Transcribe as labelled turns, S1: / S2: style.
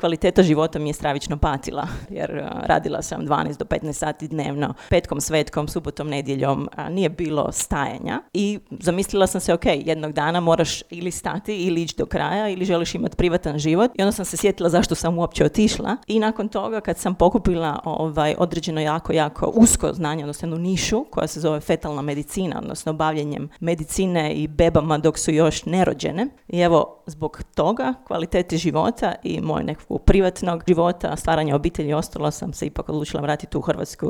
S1: kvaliteta života mi je stravično patila, jer radila sam 12 do 15 sati dnevno, petkom, svetkom, subotom, nedjeljom, nije bilo stajanja i zamislila sam se, ok, jednog dana moraš ili stati ili ići do kraja ili želiš imati privatan život i onda sam se sjetila zašto sam uopće otišla i nakon toga kad sam pokupila određeno jako usko znanje, odnosno jednu nišu koja se zove fetalna medicina, odnosno bavljenjem medicine i bebama dok su još nerođene. I evo, zbog toga, kvalitete života i moj nekakvog privatnog života, stvaranja obitelji i ostalo, sam se ipak odlučila vratiti u Hrvatsku